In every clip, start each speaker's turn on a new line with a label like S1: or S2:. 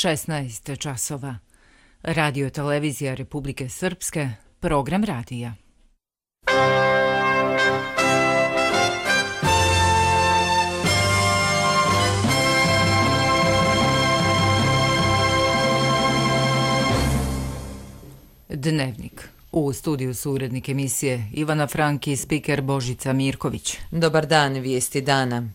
S1: 16 časova. Radio televizija Republike Srpske, program radija. Dnevnik. U studiju su urednik emisije Ivana Frank i spiker Božica Mirković.
S2: Dobar dan, vijesti dana.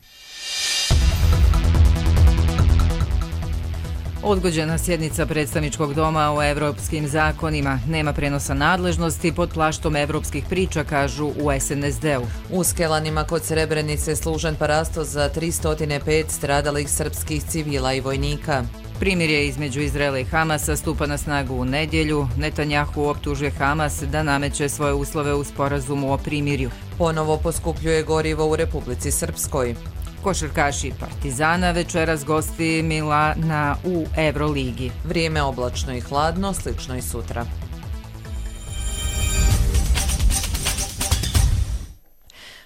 S1: Odgođena sjednica predstavničkog doma o evropskim zakonima. Nema prenosa nadležnosti pod plaštom evropskih priča, kažu u SNSD-u.
S2: U Skelanima kod Srebrenice služen parasto za 305 stradalih srpskih civila i vojnika.
S1: Primirje između Izraela i Hamasa stupa na snagu u nedjelju. Netanjahu optužuje Hamas da nameće svoje uslove u sporazumu o primirju.
S2: Ponovo poskupljuje gorivo u Republici Srpskoj.
S1: Košarkaši Partizana večeras gosti Milana u Euroligi.
S2: Vrijeme oblačno i hladno, slično i sutra.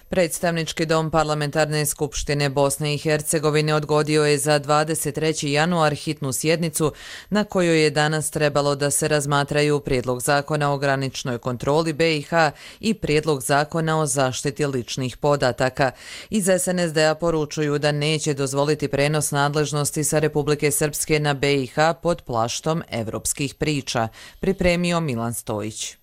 S2: Predstavnički dom Parlamentarne skupštine Bosne i Hercegovine odgodio je za 23. januar hitnu sjednicu na kojoj je danas trebalo da se razmatraju prijedlog zakona o graničnoj kontroli BiH i prijedlog zakona o zaštiti ličnih podataka. Iz SNSD-a poručuju da neće dozvoliti prenos nadležnosti sa Republike Srpske na BiH pod plaštom evropskih priča, pripremio Milan Stojić.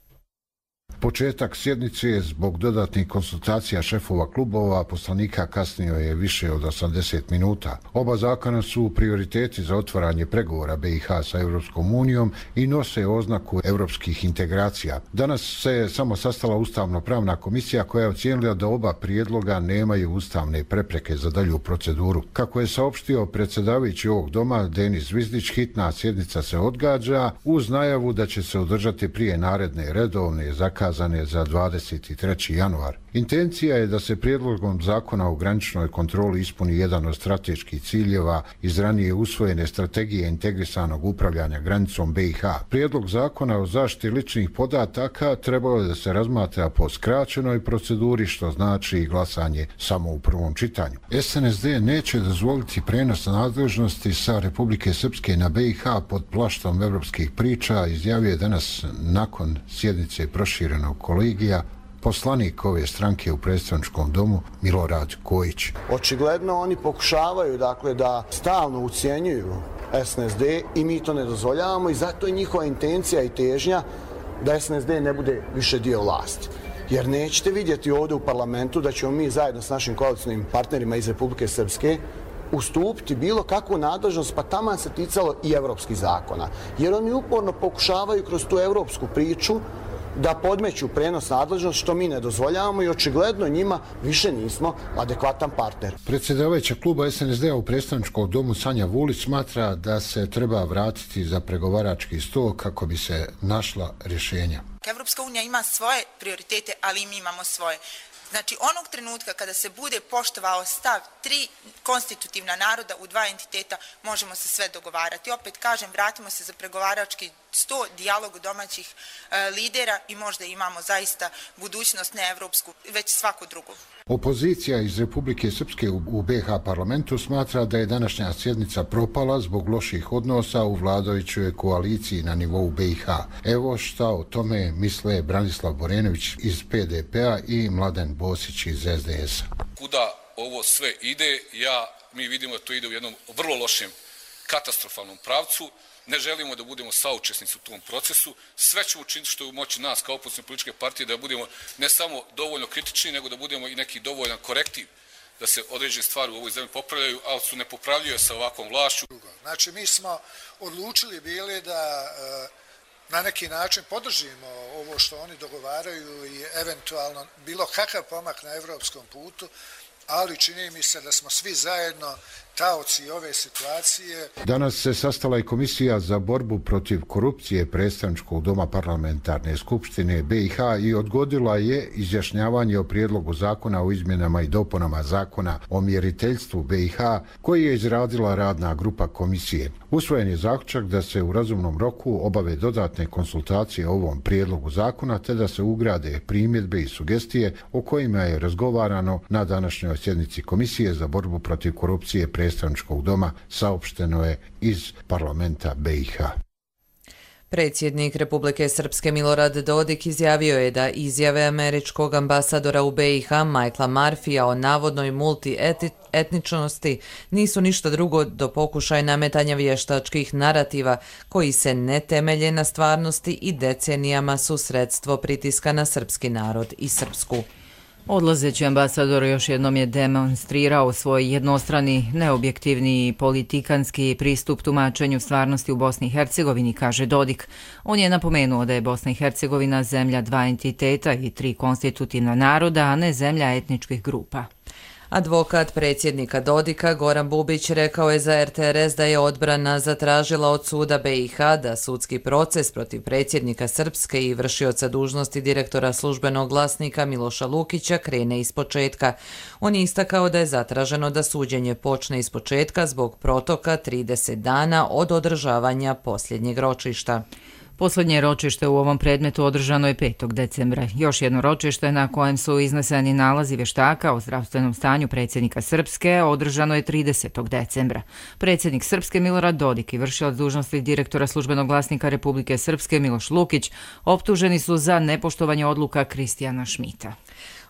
S3: Početak sjednice je zbog dodatnih konsultacija šefova klubova poslanika kasnio je više od 80 minuta. Oba zakona su prioriteti za otvaranje pregovora BiH sa Europskom unijom i nose oznaku europskih integracija. Danas se samo sastala Ustavno-pravna komisija koja je ocijenila da oba prijedloga nemaju ustavne prepreke za dalju proceduru. Kako je saopštio predsjedavajući ovog doma Denis Zvizdić, hitna sjednica se odgađa uz najavu da će se održati prije naredne redovne zakazane za 23. januar. Intencija je da se prijedlogom zakona o graničnoj kontroli ispuni jedan od strateških ciljeva iz ranije usvojene strategije integrisanog upravljanja granicom BiH. Prijedlog zakona o zaštiti ličnih podataka trebalo je da se razmatra po skraćenoj proceduri, što znači glasanje samo u prvom čitanju. SNSD neće dozvoliti prenos nadležnosti sa Republike Srpske na BiH pod plaštom evropskih priča, izjavio je danas nakon sjednice proširenog kolegija poslanik ove stranke u predstavničkom domu Milorad Kojić.
S4: Očigledno oni pokušavaju da stalno ucjenjuju SNSD i mi to ne dozvoljavamo i zato je njihova intencija i težnja da SNSD ne bude više dio vlasti. Jer nećete vidjeti ovdje u parlamentu da ćemo mi zajedno s našim koalicijnim partnerima iz Republike Srpske ustupiti bilo kakvu nadležnost, pa taman se ticalo i evropskih zakona. Jer oni uporno pokušavaju kroz tu evropsku priču da podmeću prenos nadležnost, što mi ne dozvoljavamo i očigledno njima više nismo adekvatan partner.
S3: Predsjedavajuća kluba SNSD-a u predstavničkom domu Sanja Vulić smatra da se treba vratiti za pregovarački stol kako bi se našla rješenja.
S5: Evropska unija ima svoje prioritete, ali i mi imamo svoje. Znači, onog trenutka kada se bude poštovao stav 3 konstitutivna naroda u 2 entiteta, možemo se sve dogovarati. Opet kažem, vratimo se za pregovarački sto, dijalog domaćih lidera i možda imamo zaista budućnost ne evropsku, već svaku drugu.
S3: Opozicija iz Republike Srpske u BiH parlamentu smatra da je današnja sjednica propala zbog loših odnosa u vladajućoj koaliciji na nivou BiH. Evo šta o tome misle Branislav Borenović iz PDP-a i Mladen Bosić iz SDS-a.
S6: Kuda ovo sve ide, mi vidimo da to ide u jednom vrlo lošem, katastrofalnom pravcu. Ne želimo da budemo saučesnici u tom procesu. Sve ćemo učiniti što je u moći nas kao opozicijne političke partije da budemo ne samo dovoljno kritični, nego da budemo i neki dovoljan korektiv da se određene stvari u ovoj zemlji popravljaju, ali su nepopravljive sa ovakvom vlašću.
S7: Znači, mi smo odlučili bili da na neki način podržimo ovo što oni dogovaraju i eventualno bilo kakav pomak na evropskom putu, ali čini mi se da smo svi zajedno taoci ove situacije.
S3: Danas se sastala i Komisija za borbu protiv korupcije predstavničkog doma Parlamentarne skupštine BiH i odgodila je izjašnjavanje o prijedlogu zakona o izmjenama i dopunama zakona o mjeriteljstvu BiH koji je izradila radna grupa komisije. Usvojen je zaključak da se u razumnom roku obave dodatne konsultacije o ovom prijedlogu zakona te da se ugrade primjedbe i sugestije o kojima je razgovarano na današnjoj sjednici Komisije za borbu protiv korupcije predstavničkog doma, saopšteno je iz parlamenta BiH.
S2: Predsjednik Republike Srpske Milorad Dodik izjavio je da izjave američkog ambasadora u BiH Michaela Murphyja o navodnoj multietničnosti nisu ništa drugo do pokušaja nametanja vještačkih narativa koji se ne temelje na stvarnosti i decenijama su sredstvo pritiska na srpski narod i Srpsku.
S1: Odlazeći ambasador još jednom je demonstrirao svoj jednostrani, neobjektivni i politikanski pristup tumačenju stvarnosti u Bosni i Hercegovini, kaže Dodik. On je napomenuo da je Bosna i Hercegovina zemlja dva entiteta i tri konstitutivna naroda, a ne zemlja etničkih grupa.
S2: Advokat predsjednika Dodika Goran Bubić rekao je za RTRS da je odbrana zatražila od suda BiH da sudski proces protiv predsjednika Srpske i vršioca dužnosti direktora službenog glasnika Miloša Lukića krene ispočetka. On je istakao da je zatraženo da suđenje počne ispočetka zbog protoka 30 dana od održavanja posljednjeg ročišta.
S1: Posljednje ročište u ovom predmetu održano je 5. decembra. Još jedno ročište na kojem su izneseni nalazi vještaka o zdravstvenom stanju predsjednika Srpske održano je 30. decembra. Predsjednik Srpske Milorad Dodik i vršilac dužnosti direktora službenog glasnika Republike Srpske Miloš Lukić optuženi su za nepoštovanje odluka Kristijana Šmita.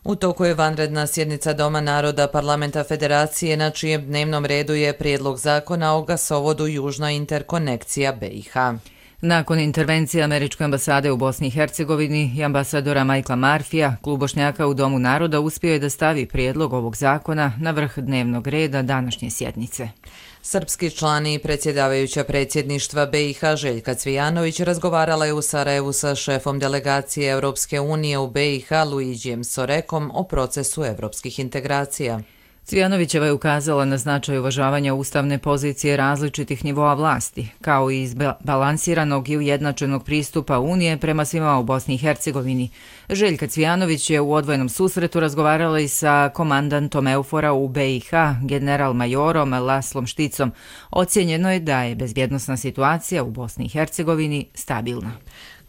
S2: U toku je vanredna sjednica Doma naroda Parlamenta Federacije na čijem dnevnom redu je prijedlog zakona o gasovodu Južna interkonekcija BiH.
S1: Nakon intervencije američke ambasade u Bosni i Hercegovini i ambasadora Michaela Murphyja, Klub Bošnjaka u Domu naroda uspio je da stavi prijedlog ovog zakona na vrh dnevnog reda današnje sjednice.
S2: Srpski člani i predsjedavajuća predsjedništva BiH Željka Cvijanović razgovarala je u Sarajevu sa šefom delegacije Europske unije u BiH Luigijem Sorekom o procesu evropskih integracija.
S1: Cvijanovićeva je ukazala na značaj uvažavanja ustavne pozicije različitih nivoa vlasti, kao i izbalansiranog i ujednačenog pristupa Unije prema svima u Bosni i Hercegovini. Željka Cvijanović je u odvojenom susretu razgovarala i sa komandantom EUFOR-a u BiH, general-majorom Laslom Šticom. Ocijenjeno je da je bezbjednosna situacija u Bosni i Hercegovini stabilna.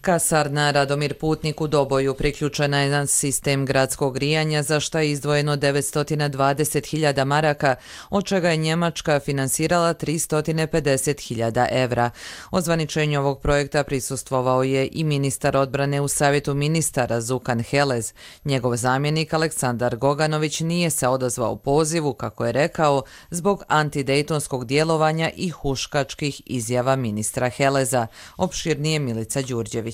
S2: Kasarna Radomir Putnik u Doboju priključena je na sistem gradskog grijanja za što je izdvojeno 920.000 maraka, od čega je Njemačka finansirala 350.000 evra. Ozvaničenju ovog projekta prisustvovao je i ministar odbrane u Savjetu ministara Zukan Helez. Njegov zamjenik Aleksandar Goganović nije se odazvao pozivu, kako je rekao, zbog antidejtonskog djelovanja i huškačkih izjava ministra Heleza. Opširnije Milica Đurđević.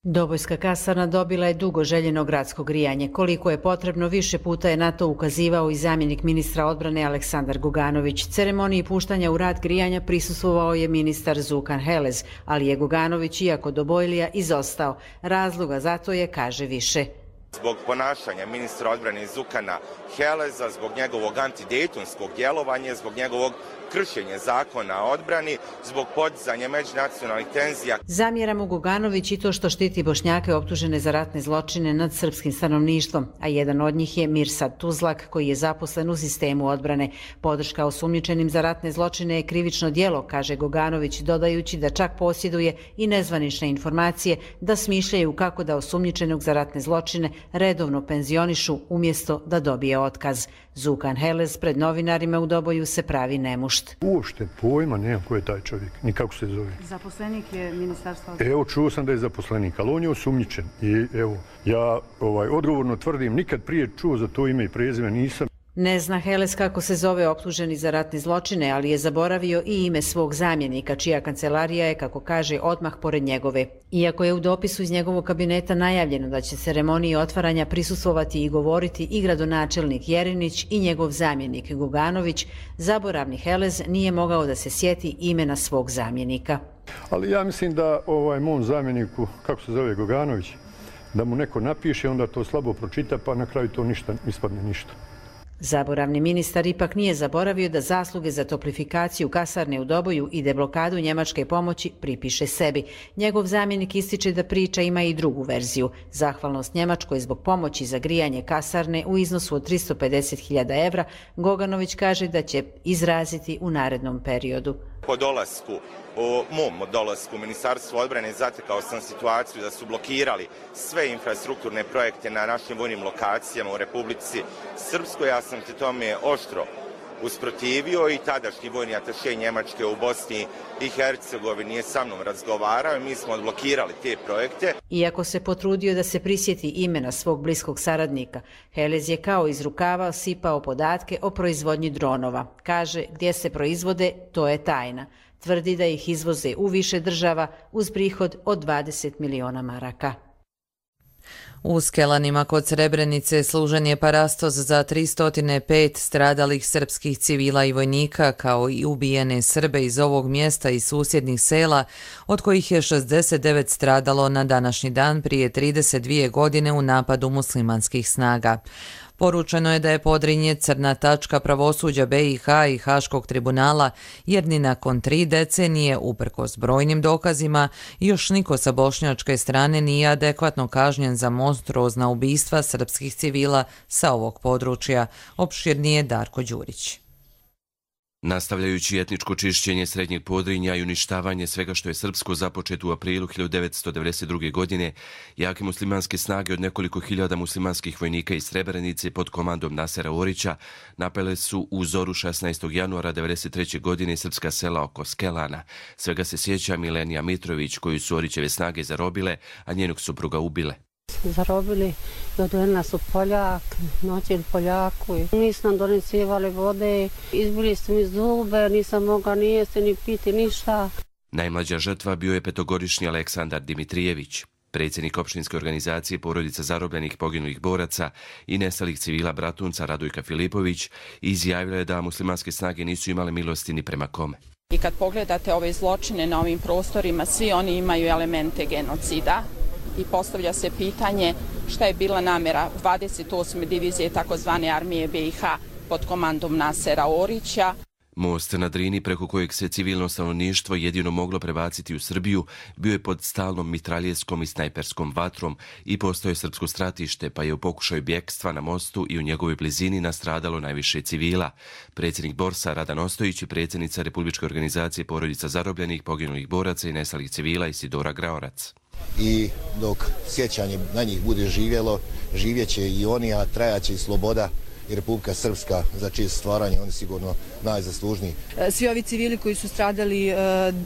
S8: Dobojska kasarna dobila je dugo željeno gradsko grijanje. Koliko je potrebno, više puta je na to ukazivao i zamjenik ministra odbrane Aleksandar Goganović. Ceremoniji puštanja u rad grijanja prisustvovao je ministar Zukan Helez, ali je Goganović, iako Dobojlija, izostao. Razloga za to je, kaže, više.
S9: Zbog ponašanja ministra odbrane Zukana Heleza, zbog njegovog antidejtonskog djelovanja, zbog njegovog kršenja zakona o odbrani, zbog podizanja međunacionalnih tenzija.
S8: Zamjera mu Goganović i to što štiti Bošnjake optužene za ratne zločine nad srpskim stanovništvom, a jedan od njih je Mirsad Tuzlak, koji je zaposlen u sistemu odbrane. Podrška osumnjičenim za ratne zločine je krivično djelo, kaže Goganović, dodajući da čak posjeduje i nezvanične informacije da smišljaju kako da osumnjičenog za ratne zločine redovno penzionišu umjesto da dobije otkaz. Zukan Helez pred novinarima u Doboju se pravi nemušt.
S10: Uopšte pojma nemam ko je taj čovjek, ni kako se zove.
S8: Zaposlenik je ministarstva.
S10: Evo, čuo sam da je zaposlenik, ali on je osumnjičen. I evo, ja odgovorno tvrdim, nikad prije čuo za to ime i prezime nisam.
S8: Ne zna Helez kako se zove optuženi za ratne zločine, ali je zaboravio i ime svog zamjenika, čija kancelarija je, kako kaže, odmah pored njegove. Iako je u dopisu iz njegovog kabineta najavljeno da će ceremoniji otvaranja prisustvovati i govoriti i gradonačelnik Jerinić i njegov zamjenik Goganović, zaboravni Helez nije mogao da se sjeti imena svog zamjenika.
S10: Ali ja mislim da mom zamjeniku, kako se zove, Goganović, da mu neko napiše, onda to slabo pročita, pa na kraju to ništa ispadne ništa.
S8: Zaboravni ministar ipak nije zaboravio da zasluge za toplifikaciju kasarne u Doboju i deblokadu njemačke pomoći pripiše sebi. Njegov zamjenik ističe da priča ima i drugu verziju. Zahvalnost Njemačkoj zbog pomoći za grijanje kasarne u iznosu od 350.000 evra, Goganović kaže da će izraziti u narednom periodu.
S9: po mom dolasku u Ministarstvo odbrane zatekao sam situaciju da su blokirali sve infrastrukturne projekte na našim vojnim lokacijama u Republici Srpskoj. Ja sam se tome oštro usprotivio i tadašnji vojni ataše Njemačke u Bosni i Hercegovini je sa mnom razgovarao i mi smo odblokirali te projekte.
S8: Iako se potrudio da se prisjeti imena svog bliskog saradnika, Helez je kao iz rukava sipao podatke o proizvodnji dronova. Kaže, gdje se proizvode, to je tajna. Tvrdi da ih izvoze u više država uz prihod od 20 miliona maraka.
S2: U Skelanima kod Srebrenice služen je parastos za 305 stradalih srpskih civila i vojnika, kao i ubijene Srbe iz ovog mjesta i susjednih sela, od kojih je 69 stradalo na današnji dan prije 32 godine u napadu muslimanskih snaga. Poručeno je da je Podrinje crna tačka pravosuđa BiH i Haškog tribunala, jer ni nakon 3 decenije, uprkos brojnim dokazima, još niko sa bošnjačke strane nije adekvatno kažnjen za monstruozna ubistva srpskih civila sa ovog područja, opširnije Darko Đurić.
S11: Nastavljajući etničko čišćenje Srednjeg Podrinja i uništavanje svega što je srpsko započeto u aprilu 1992. godine, jake muslimanske snage od nekoliko hiljada muslimanskih vojnika iz Srebrenice pod komandom Nasera Orića napale su u zoru 16. januara 1993. godine srpska sela oko Skelana. Svega se sjeća Milenija Mitrović, koju su Orićeve snage zarobile, a njenog supruga ubile.
S12: Zarobili i odveli nas u Poljak, noćili Poljaku. Nisu nam donesivali vode, izbili su mi zube, nisam mogla ni jesti, ni piti, ništa.
S11: Najmlađa žrtva bio je 5-godišnji Aleksandar Dimitrijević, predsjednik opštinske organizacije porodica zarobljenih poginulih boraca i nestalih civila Bratunca Radojka Filipović, izjavila je da muslimanske snage nisu imale milosti ni prema kome.
S13: I kad pogledate ove zločine na ovim prostorima, svi oni imaju elemente genocida. I postavlja se pitanje šta je bila namjera 28. divizije takozvane armije BiH pod komandom Nasera Orića.
S11: Most na Drini, preko kojeg se civilno stanovništvo jedino moglo prebaciti u Srbiju, bio je pod stalnom mitraljeskom i snajperskom vatrom i postao je srpsko stratište, pa je u pokušaju bjekstva na mostu i u njegovoj blizini nastradalo najviše civila. Predsjednik Borsa Radan Ostojić i predsjednica Republičke organizacije porodica zarobljenih poginulih boraca i nestalih civila Isidora Graorac.
S14: I dok sjećanje na njih bude živjelo, živjeće i oni, a trajaće i sloboda i Republika Srpska, za čije stvaranje oni sigurno najzaslužniji.
S15: Svi ovi civili koji su stradali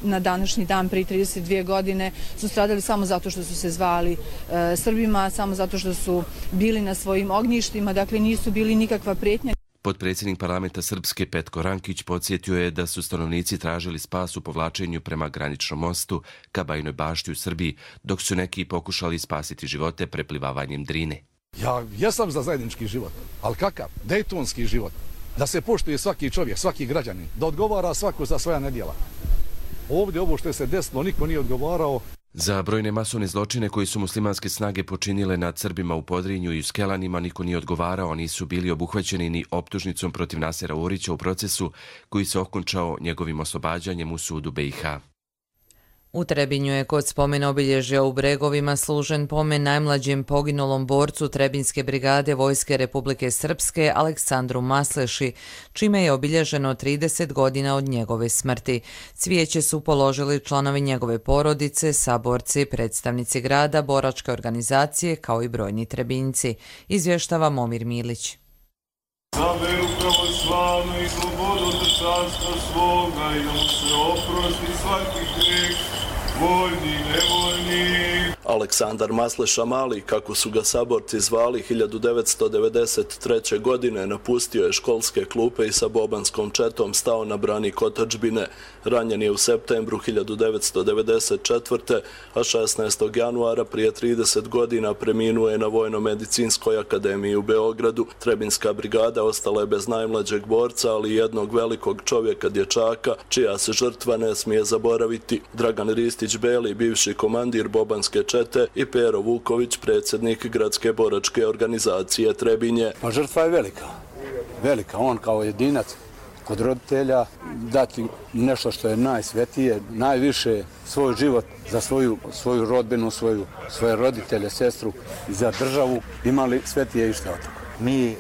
S15: na današnji dan prije 32 godine su stradali samo zato što su se zvali Srbima, samo zato što su bili na svojim ognjištima, dakle nisu bili nikakva prijetnja.
S11: Potpredsjednik parlamenta Srpske Petko Rankić podsjetio je da su stanovnici tražili spas u povlačenju prema graničnom mostu ka Bajinoj Bašti u Srbiji, dok su neki pokušali spasiti živote preplivavanjem Drine.
S16: Ja jesam za zajednički život, ali kakav? Dejtonski život. Da se poštuje svaki čovjek, svaki građanin, da odgovara svako za svoja nedjela. Ovdje ovo što se desilo, niko nije odgovarao.
S11: Za brojne masovne zločine koji su muslimanske snage počinile nad Srbima u Podrinju i u Skelanima niko nije odgovarao, nisu bili obuhvaćeni ni optužnicom protiv Nasera Orića u procesu koji se okončao njegovim oslobađanjem u sudu BiH.
S2: U Trebinju je kod spomen obilježja u Bregovima služen pomen najmlađem poginulom borcu Trebinjske brigade Vojske Republike Srpske Aleksandru Masleši, čime je obilježeno 30 godina od njegove smrti. Cvijeće su položili članovi njegove porodice, saborci, predstavnici grada, boračke organizacije kao i brojni Trebinjci, izvještava Momir Milić.
S17: Za veru pravoslavnu i slobodu od carstva svoga i da mu se oprosti svaki grijeh, voljni, nevoljni.
S18: Aleksandar Masleša Mali, kako su ga saborci zvali, 1993. godine napustio je školske klupe i sa bobanskom četom stao na branik otadžbine. Ranjen je u septembru 1994. a 16. januara prije 30 godina preminuo je na Vojno-medicinskoj akademiji u Beogradu. Trebinjska brigada ostala je bez najmlađeg borca, ali i jednog velikog čovjeka, dječaka, čija se žrtva ne smije zaboraviti. Dragan Ristić Beli, bivši komandir bobanske čete, i Pero Vuković, predsjednik gradske boračke organizacije Trebinje.
S19: Pa žrtva je velika. Velika. On kao jedinac kod roditelja dati nešto što je najsvetije, najviše svoj život za svoju rodbinu, svoje roditelje, sestru i za državu, imali svetije išta od toga.
S20: Mi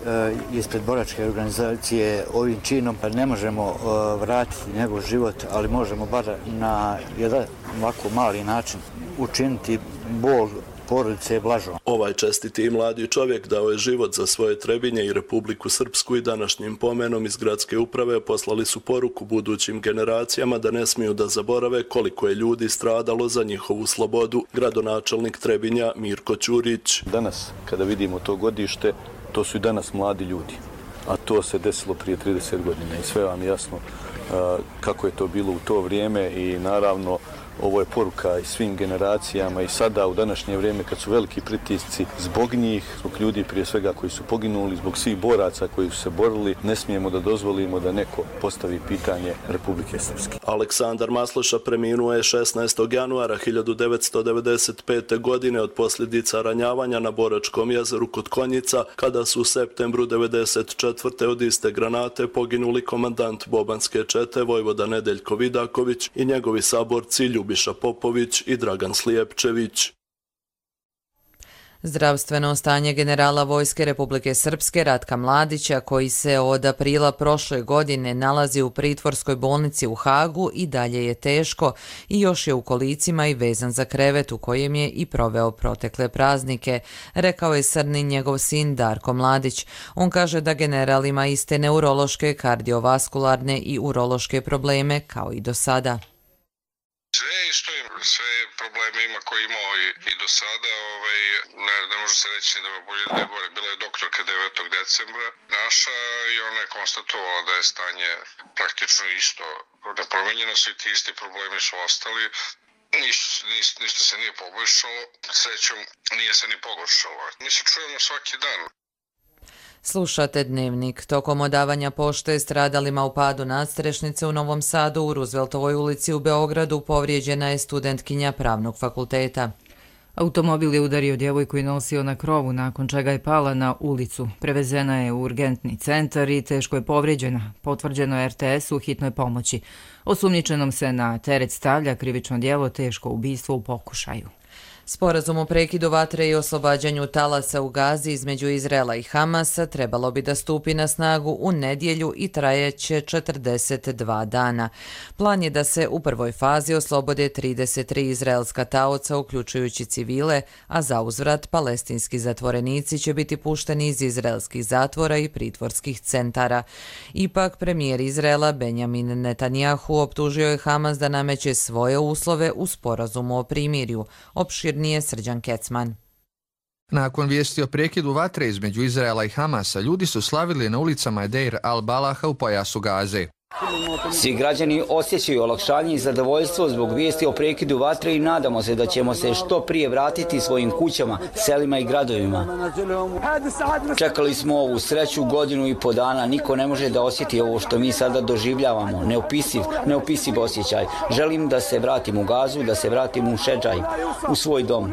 S20: ispred boračke organizacije ovim činom ne možemo vratiti njegov život, ali možemo bar na jedan ovako mali način učiniti bol porodice blažom.
S18: Ovaj čestiti i mladi čovjek dao je život za svoje Trebinje i Republiku Srpsku i današnjim pomenom iz gradske uprave poslali su poruku budućim generacijama da ne smiju da zaborave koliko je ljudi stradalo za njihovu slobodu. Gradonačelnik Trebinja Mirko Ćurić.
S21: Danas, kada vidimo to godište, to su i danas mladi ljudi, a to se desilo prije 30 godina i sve vam jasno kako je to bilo u to vrijeme i naravno ovo je poruka i svim generacijama i sada u današnje vrijeme kad su veliki pritisci zbog njih, zbog ljudi prije svega koji su poginuli, zbog svih boraca koji su se borili, ne smijemo da dozvolimo da neko postavi pitanje Republike Srpske.
S18: Aleksandar Masleša preminuo je 16. januara 1995. godine od posljedica ranjavanja na Boračkom jezeru kod Konjica, kada su u septembru 1994. od iste granate poginuli komandant Bobanske čete Vojvoda Nedeljko Vidaković i njegovi saborci Ljubiša Popović i Dragan Slijepčević.
S2: Zdravstveno stanje generala Vojske Republike Srpske Ratka Mladića, koji se od aprila prošle godine nalazi u pritvorskoj bolnici u Hagu, i dalje je teško i još je u kolicima i vezan za krevet u kojem je i proveo protekle praznike, rekao je Srnin njegov sin Darko Mladić. On kaže da general ima iste neurološke, kardiovaskularne i urološke probleme kao i do sada.
S22: Sve probleme ima koje imao i do sada, ne može se reći da me bolje da je gore. Bila je doktorka 9. decembra naša i ona je konstatovala da je stanje praktično isto nepromenjeno, svi ti isti problemi su ostali, ništa se nije poboljšalo, srećom nije se ni pogoršalo. Mi se čujemo svaki dan.
S2: Slušate Dnevnik. Tokom odavanja pošte stradalima u padu nadstrešnice u Novom Sadu u Rooseveltovoj ulici u Beogradu povrijeđena je studentkinja Pravnog fakulteta.
S1: Automobil je udario djevojku i nosio na krovu, nakon čega je pala na ulicu. Prevezena je u urgentni centar i teško je povrijeđena. Potvrđeno je RTS u hitnoj pomoći. Osumnjičenom se na teret stavlja krivično djelo teško ubistvo u pokušaju.
S2: Sporazum o prekidu vatre i oslobađanju talasa u Gazi između Izraela i Hamasa trebalo bi da stupi na snagu u nedjelju i trajeće 42 dana. Plan je da se u prvoj fazi oslobode 33 izraelska taoca, uključujući civile, a za uzvrat palestinski zatvorenici će biti pušteni iz izraelskih zatvora i pritvorskih centara. Ipak, premijer Izraela Benjamin Netanjahu optužio je Hamas da nameće svoje uslove u sporazumu o primirju. Nije Srđan Kecman.
S23: Nakon vijesti o prekidu vatre između Izraela i Hamasa, ljudi su slavili na ulicama Deir al-Balaha u pojasu Gaze.
S24: Svi građani osjećaju olakšanje i zadovoljstvo zbog vijesti o prekidu vatre i nadamo se da ćemo se što prije vratiti svojim kućama, selima i gradovima. Čekali smo ovu sreću godinu i po dana, niko ne može da osjeti ovo što mi sada doživljavamo, neopisiv osjećaj. Želim da se vratim u Gazu, da se vratim u Šedžaj, u svoj dom.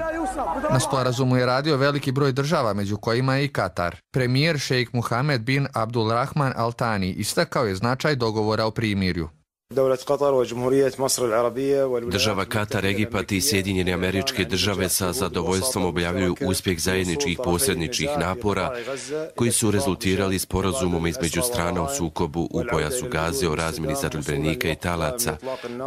S23: Na sporazumu je radio veliki broj država, među kojima je i Katar. Premijer šejk Muhamed bin Abdulrahman Al Thani istakao je značaj dogovora o primirju.
S11: Država Katar, Egipat i Sjedinjene Američke Države sa zadovoljstvom objavljuju uspjeh zajedničkih posredničkih napora koji su rezultirali sporazumom između strana u sukobu u pojasu Gaze o razmjeni zarobljenika i talaca,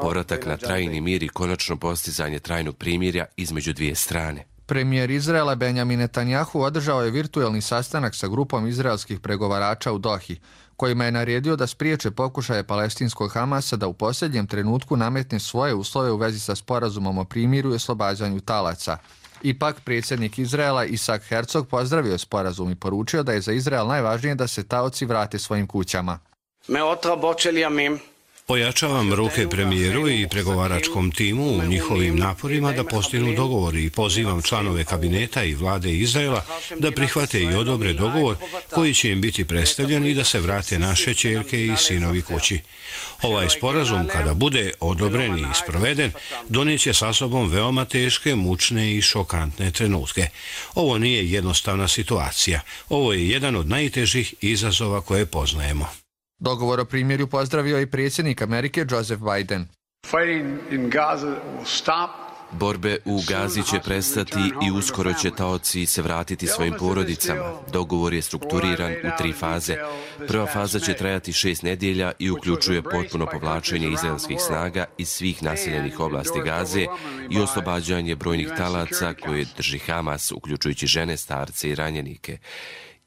S11: povratak na trajni mir i konačno postizanje trajnog primirja između dvije strane.
S23: Premijer Izraela Benjamin Netanjahu održao je virtuelni sastanak sa grupom izraelskih pregovarača u Dohi, kojima je naredio da spriječe pokušaje palestinskog Hamasa da u posljednjem trenutku nametne svoje uslove u vezi sa sporazumom o primirju i oslobađanju talaca. Ipak, predsjednik Izraela Isak Herzog pozdravio sporazum i poručio da je za Izrael najvažnije da se taoci vrate svojim kućama.
S25: Ojačavam ruke premijeru i pregovaračkom timu u njihovim naporima da postignu dogovor i pozivam članove kabineta i vlade Izraela da prihvate i odobre dogovor koji će im biti predstavljen i da se vrate naše ćerke i sinovi kući. Ovaj sporazum, kada bude odobren i sproveden, donijeće sa sobom veoma teške, mučne i šokantne trenutke. Ovo nije jednostavna situacija. Ovo je jedan od najtežih izazova koje poznajemo.
S23: Dogovor o primirju pozdravio i predsjednik Amerike Joseph Biden.
S11: Borbe u Gazi će prestati i uskoro će taoci se vratiti svojim porodicama. Dogovor je strukturiran u 3 faze. Prva faza će trajati 6 nedjelja i uključuje potpuno povlačenje izraelskih snaga iz svih naseljenih oblasti Gaze i oslobađanje brojnih talaca koje drži Hamas, uključujući žene, starce i ranjenike.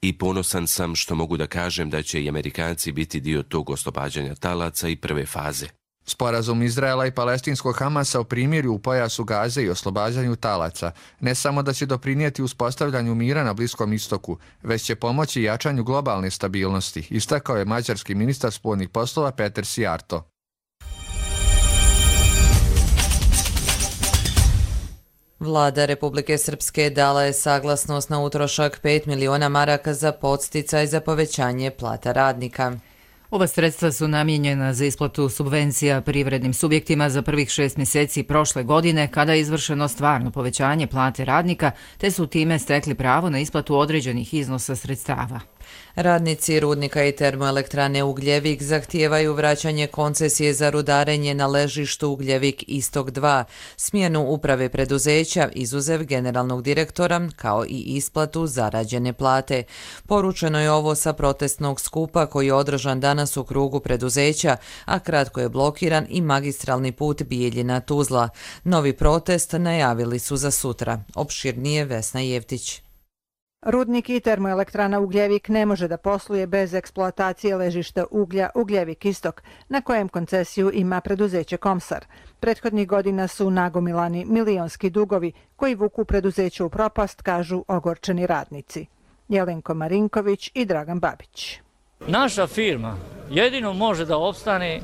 S11: I ponosan sam što mogu da kažem da će i Amerikanci biti dio tog oslobađanja talaca i prve faze.
S23: Sporazum Izraela i palestinskog Hamasa o primirju u pojasu Gaze i oslobađanju talaca ne samo da će doprinijeti uspostavljanju mira na Bliskom istoku, već će pomoći jačanju globalne stabilnosti, istakao je mađarski ministar spoljnih poslova Peter Sijarto.
S2: Vlada Republike Srpske dala je saglasnost na utrošak 5 miliona maraka za podsticaj za povećanje plata radnika.
S1: Ova sredstva su namijenjena za isplatu subvencija privrednim subjektima za prvih 6 mjeseci prošle godine kada je izvršeno stvarno povećanje plate radnika, te su time stekli pravo na isplatu određenih iznosa sredstava.
S2: Radnici rudnika i termoelektrane Ugljevik zahtijevaju vraćanje koncesije za rudarenje na ležištu Ugljevik Istok 2, smjenu uprave preduzeća, izuzev generalnog direktora, kao i isplatu zarađene plate. Poručeno je ovo sa protestnog skupa koji je održan danas u krugu preduzeća, a kratko je blokiran i magistralni put Bijeljina-Tuzla. Novi protest najavili su za sutra. Opširnije Vesna Jevtić.
S3: Rudnik i termoelektrana Ugljevik ne može da posluje bez eksploatacije ležišta uglja Ugljevik Istok, na kojem koncesiju ima preduzeće Komsar. Prethodnih godina su nagomilani milionski dugovi koji vuku preduzeće u propast, kažu ogorčeni radnici. Jelenko Marinković i Dragan Babić.
S4: Naša firma jedino može da opstane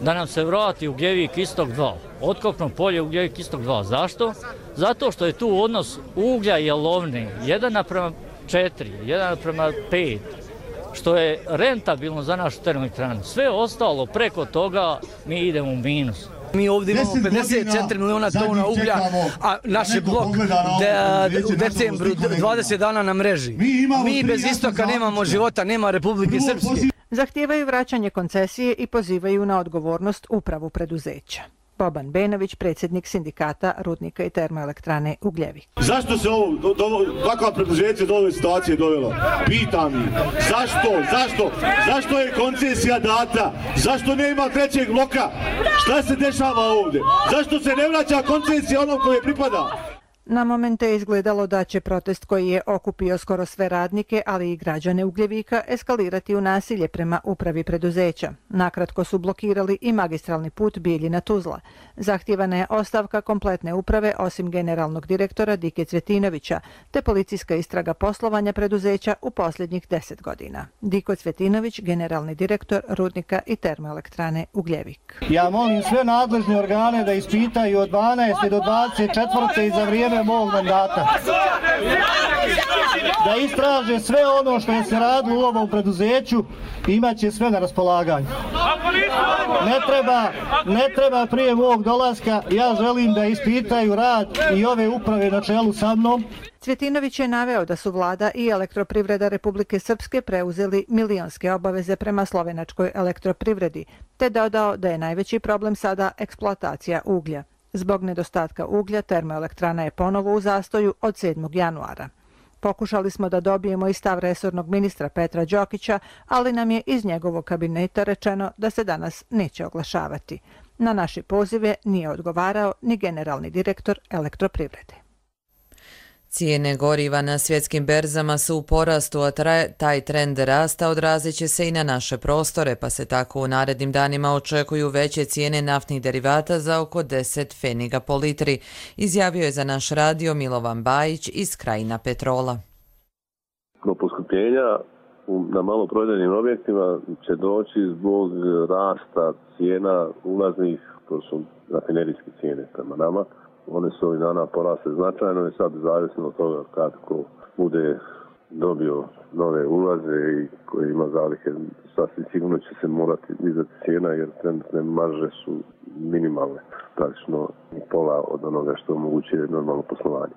S4: da nam se vrati Ugljevik Istok 2, otkopno polje Ugljevik Istok 2. Zašto? Zato što je tu odnos uglja i jalovne 1:4, 1:5, što je rentabilno za našu termoelektranu. Sve ostalo preko toga mi idemo u minus.
S5: Mi ovdje imamo 54 miliona tona uglja, a naš je blok u decembru 20 dana na mreži. Mi bez istoka nemamo života, nema Republike Srpske.
S3: Zahtijevaju vraćanje koncesije i pozivaju na odgovornost upravu preduzeća. Boban Benović, predsjednik sindikata rudnika i termoelektrane Ugljevik.
S6: Zašto se takva preduzeća do ove situacije dovelo? Pitam ih. Zašto je koncesija data? Zašto nema trećeg bloka? Šta se dešava ovdje? Zašto se ne vraća koncesija onom koje pripada?
S3: Na momente je izgledalo da će protest koji je okupio skoro sve radnike, ali i građane Ugljevika, eskalirati u nasilje prema upravi preduzeća. Nakratko su blokirali i magistralni put Bijeljina-Tuzla. Zahtijevana je ostavka kompletne uprave osim generalnog direktora Dike Cvetinovića, te policijska istraga poslovanja preduzeća u posljednjih 10 godina. Diko Cvetinović, generalni direktor rudnika i termoelektrane Ugljevik.
S7: Ja molim sve nadležne organe da ispitaju od 12. do 24. i za vrijeme mog mandata. Da istraže sve ono što je se radilo u ovom preduzeću, imaće sve na raspolaganju. Ne treba prije mog dolaska, ja želim da ispitaju rad i ove uprave na čelu sa mnom.
S3: Cvjetinović je naveo da su vlada i elektroprivreda Republike Srpske preuzeli milionske obaveze prema slovenačkoj elektroprivredi, te dodao da je najveći problem sada eksploatacija uglja. Zbog nedostatka uglja, termoelektrana je ponovo u zastoju od 7. januara. Pokušali smo da dobijemo i stav resornog ministra Petra Đokića, ali nam je iz njegovog kabineta rečeno da se danas neće oglašavati. Na naše pozive nije odgovarao ni generalni direktor elektroprivrede.
S2: Cijene goriva na svjetskim berzama su u porastu, a taj trend rasta odrazit će se i na naše prostore, pa se tako u narednim danima očekuju veće cijene naftnih derivata za oko 10 pfeniga po litri, izjavio je za naš radio Milovan Bajić iz Krajina Petrola.
S26: Do poskupljenja na maloprodajnim objektima će doći zbog rasta cijena ulaznih, to su rafinerijske cijene prema nama. One su ovih dana porasle značajno i sad zavisno od toga kako bude dobio nove ulaze i koji ima zalihe, sasvim sigurno će se morati dizati cijena jer trenutne marže su minimalne, praktično pola od onoga što omogućuje normalno poslovanje.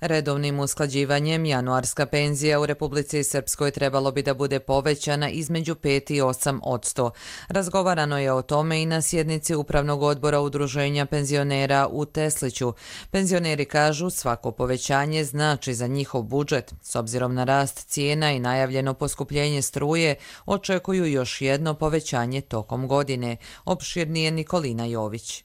S2: Redovnim usklađivanjem januarska penzija u Republici Srpskoj trebalo bi da bude povećana između 5 i 8%. Razgovarano je o tome i na sjednici Upravnog odbora Udruženja penzionera u Tesliću. Penzioneri kažu svako povećanje znači za njihov budžet. S obzirom na rast cijena i najavljeno poskupljenje struje, očekuju još jedno povećanje tokom godine. Opširnije Nikolina Jović.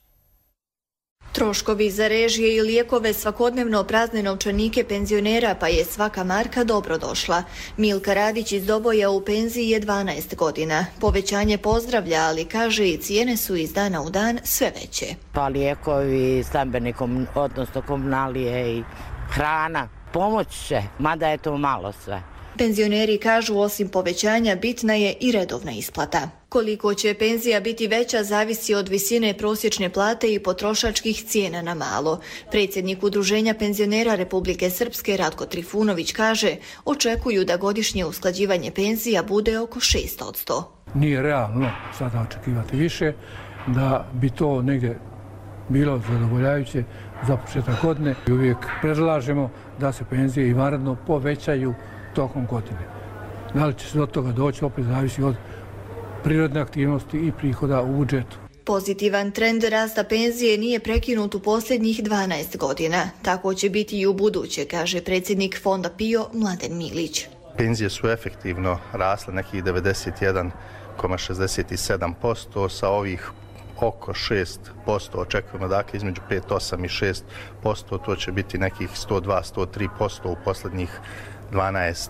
S8: Troškovi za režije i lijekove svakodnevno prazne novčanike penzionera, pa je svaka marka dobro došla. Milka Radić iz Doboja u penziji je 12 godina. Povećanje pozdravlja, ali kaže i cijene su iz dana u dan sve veće.
S9: Pa lijekovi, stambeni, odnosno komunalije i hrana. Pomoć će, mada je to malo sve.
S8: Penzioneri kažu osim povećanja bitna je i redovna isplata. Koliko će penzija biti veća zavisi od visine prosječne plate i potrošačkih cijena na malo. Predsjednik Udruženja penzionera Republike Srpske Ratko Trifunović kaže očekuju da godišnje usklađivanje penzija bude oko 6%.
S10: Nije realno sada očekivati više, da bi to negdje bilo zadovoljavajuće za početak godine. Uvijek predlažemo da se penzije i vanredno povećaju tokom godine. Da li će se do toga doći, opet zavisi od prirodne aktivnosti i prihoda u budžetu.
S8: Pozitivan trend rasta penzije nije prekinut u posljednjih 12 godina. Tako će biti i u buduće, kaže predsjednik Fonda PIO Mladen Milić.
S12: Penzije su efektivno rasle nekih 91,67%, sa ovih oko 6% očekujemo, dakle između 5, 8 i 6%, to će biti nekih 102-103% u posljednjih 12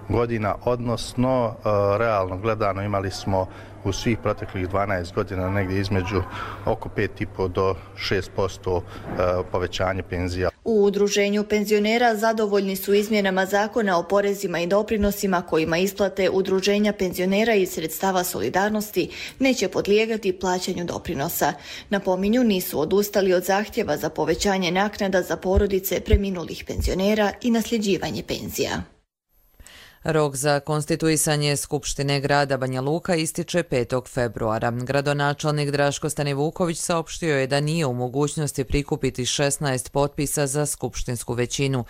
S12: godina, odnosno realno gledano imali smo u svih proteklih 12 godina negdje između oko 5,5 do 6% povećanje penzija.
S8: U Udruženju penzionera zadovoljni su izmjenama zakona o porezima i doprinosima kojima isplate Udruženja penzionera iz sredstava solidarnosti neće podlijegati plaćanju doprinosa. Napominju, nisu odustali od zahtjeva za povećanje naknada za porodice preminulih penzionera i nasljeđivanje penzija.
S2: Rok za konstituisanje Skupštine grada Banja Luka ističe 5. februara. Gradonačelnik Draško Stanivuković saopštio je da nije u mogućnosti prikupiti 16 potpisa za skupštinsku većinu.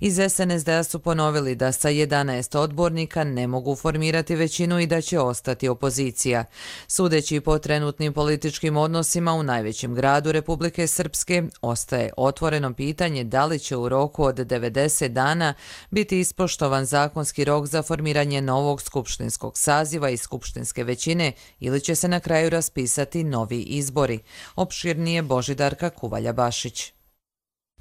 S2: Iz SNSD-a su ponovili da sa 11 odbornika ne mogu formirati većinu i da će ostati opozicija. Sudeći po trenutnim političkim odnosima u najvećem gradu Republike Srpske, ostaje otvoreno pitanje da li će u roku od 90 dana biti ispoštovan zakonski rok za formiranje novog skupštinskog saziva i skupštinske većine ili će se na kraju raspisati novi izbori. Opširnije Božidarka Kuvalja-Bašić.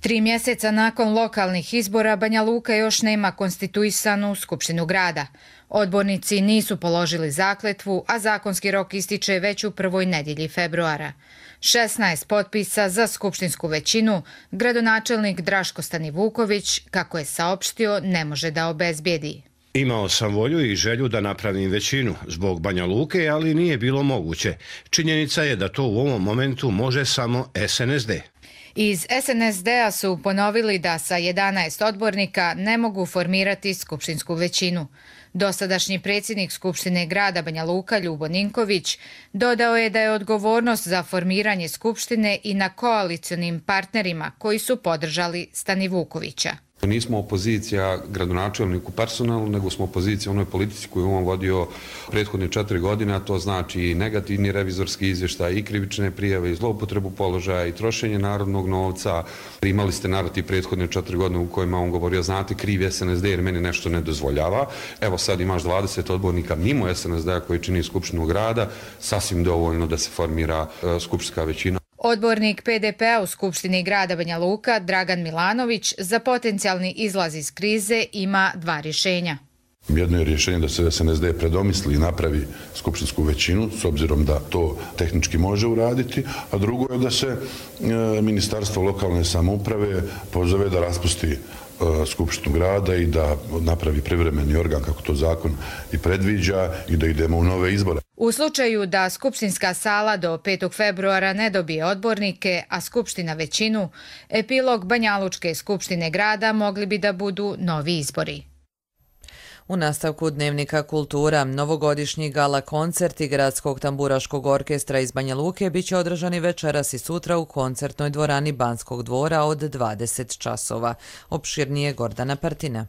S13: 3 mjeseca nakon lokalnih izbora Banja Luka još nema konstituisanu skupštinu grada. Odbornici nisu položili zakletvu, a zakonski rok ističe već u prvoj nedjelji februara. 16 potpisa za skupštinsku većinu gradonačelnik Draško Stanivuković, kako je saopštio, ne može da obezbijedi.
S25: Imao sam volju i želju da napravim većinu zbog Banja Luke, ali nije bilo moguće. Činjenica je da to u ovom momentu može samo SNSD.
S13: Iz SNSD-a su ponovili da sa 11 odbornika ne mogu formirati skupštinsku većinu. Dosadašnji predsjednik Skupštine grada Banja Luka Ljubo Ninković dodao je da je odgovornost za formiranje skupštine i na koalicionim partnerima koji su podržali Stanivukovića.
S14: Nismo opozicija gradonačelniku personalno, nego smo opozicija onoj politici koju on vodio prethodne 4 godine, a to znači i negativni revizorski izvještaj, i krivične prijave, i zloupotrebu položaja, i trošenje narodnog novca. Imali ste narativ prethodne 4 godine u kojima on govorio, znate, krivi SNSD jer meni nešto ne dozvoljava. Evo sad imaš 20 odbornika mimo SNSD-a koji čini Skupštinu grada, sasvim dovoljno da se formira skupštinska većina.
S13: Odbornik PDP-a u Skupštini grada Banja Luka, Dragan Milanović, za potencijalni izlaz iz krize ima 2 rješenja.
S27: Jedno je rješenje da se SNSD predomisli i napravi skupštinsku većinu, s obzirom da to tehnički može uraditi, a drugo je da se Ministarstvo lokalne samouprave pozove da raspusti Skupštinu grada i da napravi privremeni organ, kako to zakon i predviđa, i da idemo u nove izbore.
S13: U slučaju da skupštinska sala do 5. februara ne dobije odbornike, a skupština većinu, epilog Banjalučke skupštine grada mogli bi da budu novi izbori.
S2: U nastavku Dnevnika kultura, novogodišnji gala koncerti Gradskog tamburaškog orkestra iz Banja Luke biće održani večeras i sutra u koncertnoj dvorani Banskog dvora od 20 časova. Opširnije Gordana Partina.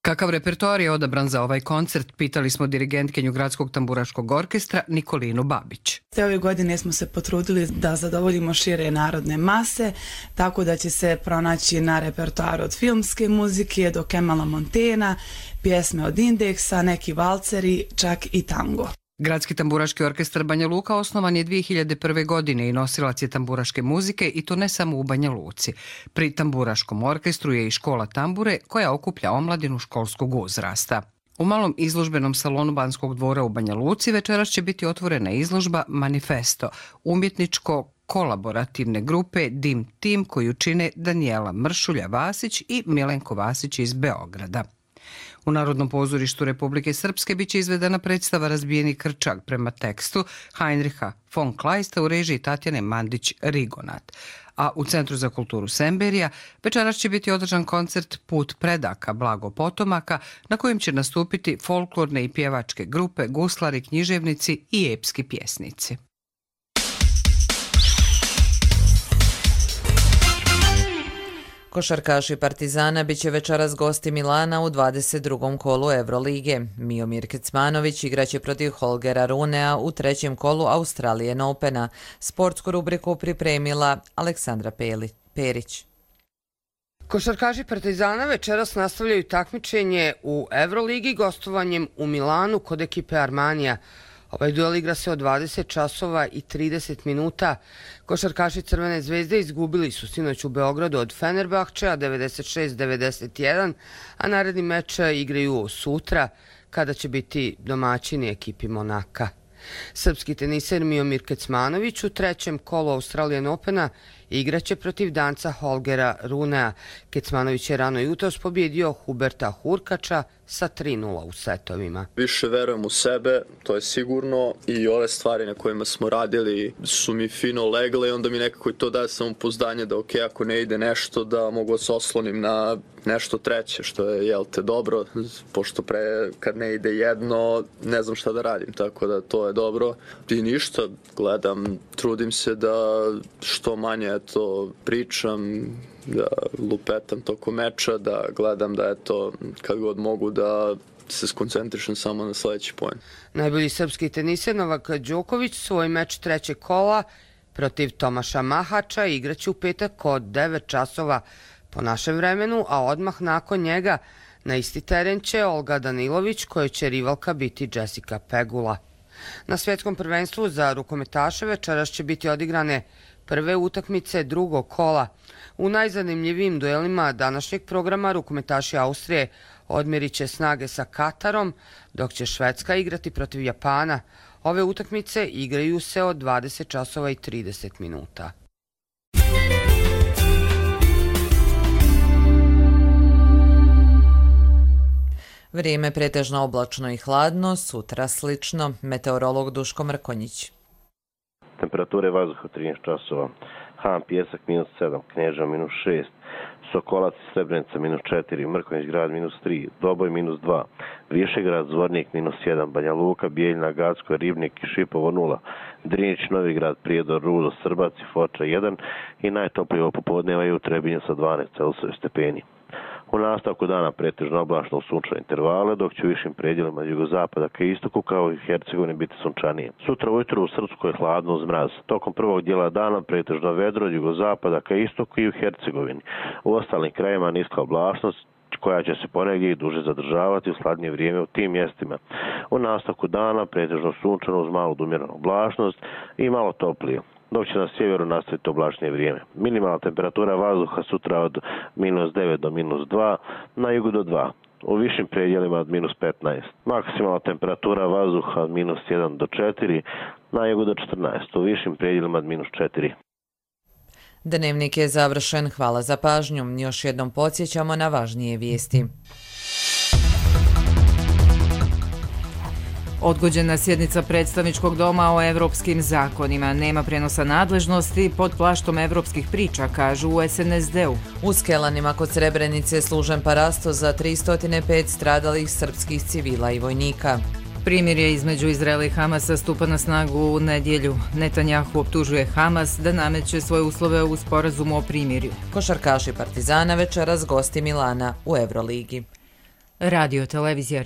S15: Kakav repertoar je odabran za ovaj koncert, pitali smo dirigentkinju Gradskog tamburaškog orkestra Nikolinu Babić.
S16: Ove godine smo se potrudili da zadovoljimo šire narodne mase, tako da će se pronaći na repertoaru od filmske muzike do Kemala Montena, pjesme od Indeksa, neki valceri, čak i tango.
S15: Gradski tamburaški orkestar Banja Luka osnovan je 2001. godine i nosilac je tamburaške muzike i to ne samo u Banja Luci. Pri tamburaškom orkestru je i škola tambure koja okuplja omladinu školskog uzrasta. U malom izložbenom salonu Banskog dvora u Banja Luci večeras će biti otvorena izložba Manifesto, umjetničko-kolaborativne grupe Dim Tim koju čine Danijela Mršulja-Vasić i Milenko Vasić iz Beograda. U Narodnom pozorištu Republike Srpske biće izvedena predstava Razbijeni krčak prema tekstu Heinricha von Kleista u režiji Tatjane Mandić-Rigonat. A u Centru za kulturu Semberija večeras će biti održan koncert Put predaka Blago potomaka na kojem će nastupiti folklorne i pjevačke grupe, guslari, književnici i epski pjesnici.
S2: Košarkaši Partizana biće večeras gosti Milana u 22. kolu Evrolige. Miomir Kecmanović igraće protiv Holgera Runea u 3. kolu Australian Opena. Sportsku rubriku pripremila Aleksandra Perić.
S17: Košarkaši Partizana večeras nastavljaju takmičenje u Evroligi gostovanjem u Milanu kod ekipe Armanija. Ovaj duel igra se od 20 časova i 30 minuta. Košarkaši Crvene zvezde izgubili su sinoć u Beogradu od Fenerbahčea 96-91, a naredni meč igraju sutra kada će biti domaćini ekipi Monaka. Srpski teniser Miomir Kecmanović u 3. kolu Australian Opena igraće protiv Danca Holgera Runea. Kecmanović je rano jutros pobjedio Huberta Hurkača sa 3:0 u setovima.
S18: Više verujem u sebe, to je sigurno, i ove stvari na kojima smo radili su mi fino legle i onda mi nekako i to daje samopouzdanje da ako ne ide nešto da mogu se oslonim na nešto treće, što je dobro, pošto kad ne ide jedno ne znam šta da radim, tako da to je dobro. I ništa, gledam, trudim se da što manje pričam, da lupetam tokom meča, da gledam da kad god mogu da se skoncentrišem samo na sljedeći poen.
S17: Najbolji srpski teniser Novak Đoković svoj meč 3. kola protiv Tomaša Mahača igraće u petak od 9 časova po našem vremenu, a odmah nakon njega na isti teren će Olga Danilović, kojoj će rivalka biti Jessica Pegula. Na svjetskom prvenstvu za rukometaše večeras će biti odigrane prve utakmice 2. kola. U najzanimljivijim duelima današnjeg programa rukometaši Austrije odmjerit će snage sa Katarom, dok će Švedska igrati protiv Japana. Ove utakmice igraju se od 20 časova i 30 minuta.
S2: Vrijeme pretežno oblačno i hladno, sutra slično. Meteorolog Duško Mrkonjić.
S26: Temperature vazduha 13 časova. Han Pjesak -7, Kneža -6, Sokolac i Srebrenica -4, Mrkonjić grad -3, Doboj -2, Višegrad, Zvornik -1, Banja Luka, Bijeljina, Gacko, Ribnik i Šipovo 0, Drinić, Novigrad, Prijedor, Rudo, Srbac i Foča 1 i najtoplije popodneva je u Trebinju sa 12 Celsius stepeni. U nastavku dana pretežno oblačno u sunčane intervale, dok će u višim predjelima jugozapada ka istoku kao i Hercegovini biti sunčanije. Sutra ujutro u Srpskoj je hladno uz mraz. Tokom prvog dijela dana pretežno vedro od jugozapada ka istoku i u Hercegovini. U ostalim krajima niska oblačnost koja će se ponegdje i duže zadržavati u hladnije vrijeme u tim mjestima. U nastavku dana pretežno sunčano uz malu umjerenu oblačnost i malo toplije, dok će na sjeveru nastaviti oblačnije vrijeme. Minimalna temperatura vazduha sutra od -9 do -2, na jugu do 2, u višim predjelima od -15. Maksimalna temperatura vazduha od -1 do 4, na jugu do 14, u višim predjelima od -4.
S2: Dnevnik je završen, hvala za pažnju. Još jednom podsjećamo na važnije vijesti.
S1: Odgođena sjednica predstavničkog doma o evropskim zakonima. Nema prenosa nadležnosti pod plaštom evropskih priča, kažu u SNSD-u.
S2: U Skelanima kod Srebrenice služen parasto za 305 stradalih srpskih civila i vojnika.
S1: Primirje između Izraela i Hamasa stupa na snagu u nedjelju. Netanjahu optužuje Hamas da nameće svoje uslove u sporazumu o primirju.
S2: Košarkaši Partizana večeras gosti Milana u Euroligi.
S1: Radio televizija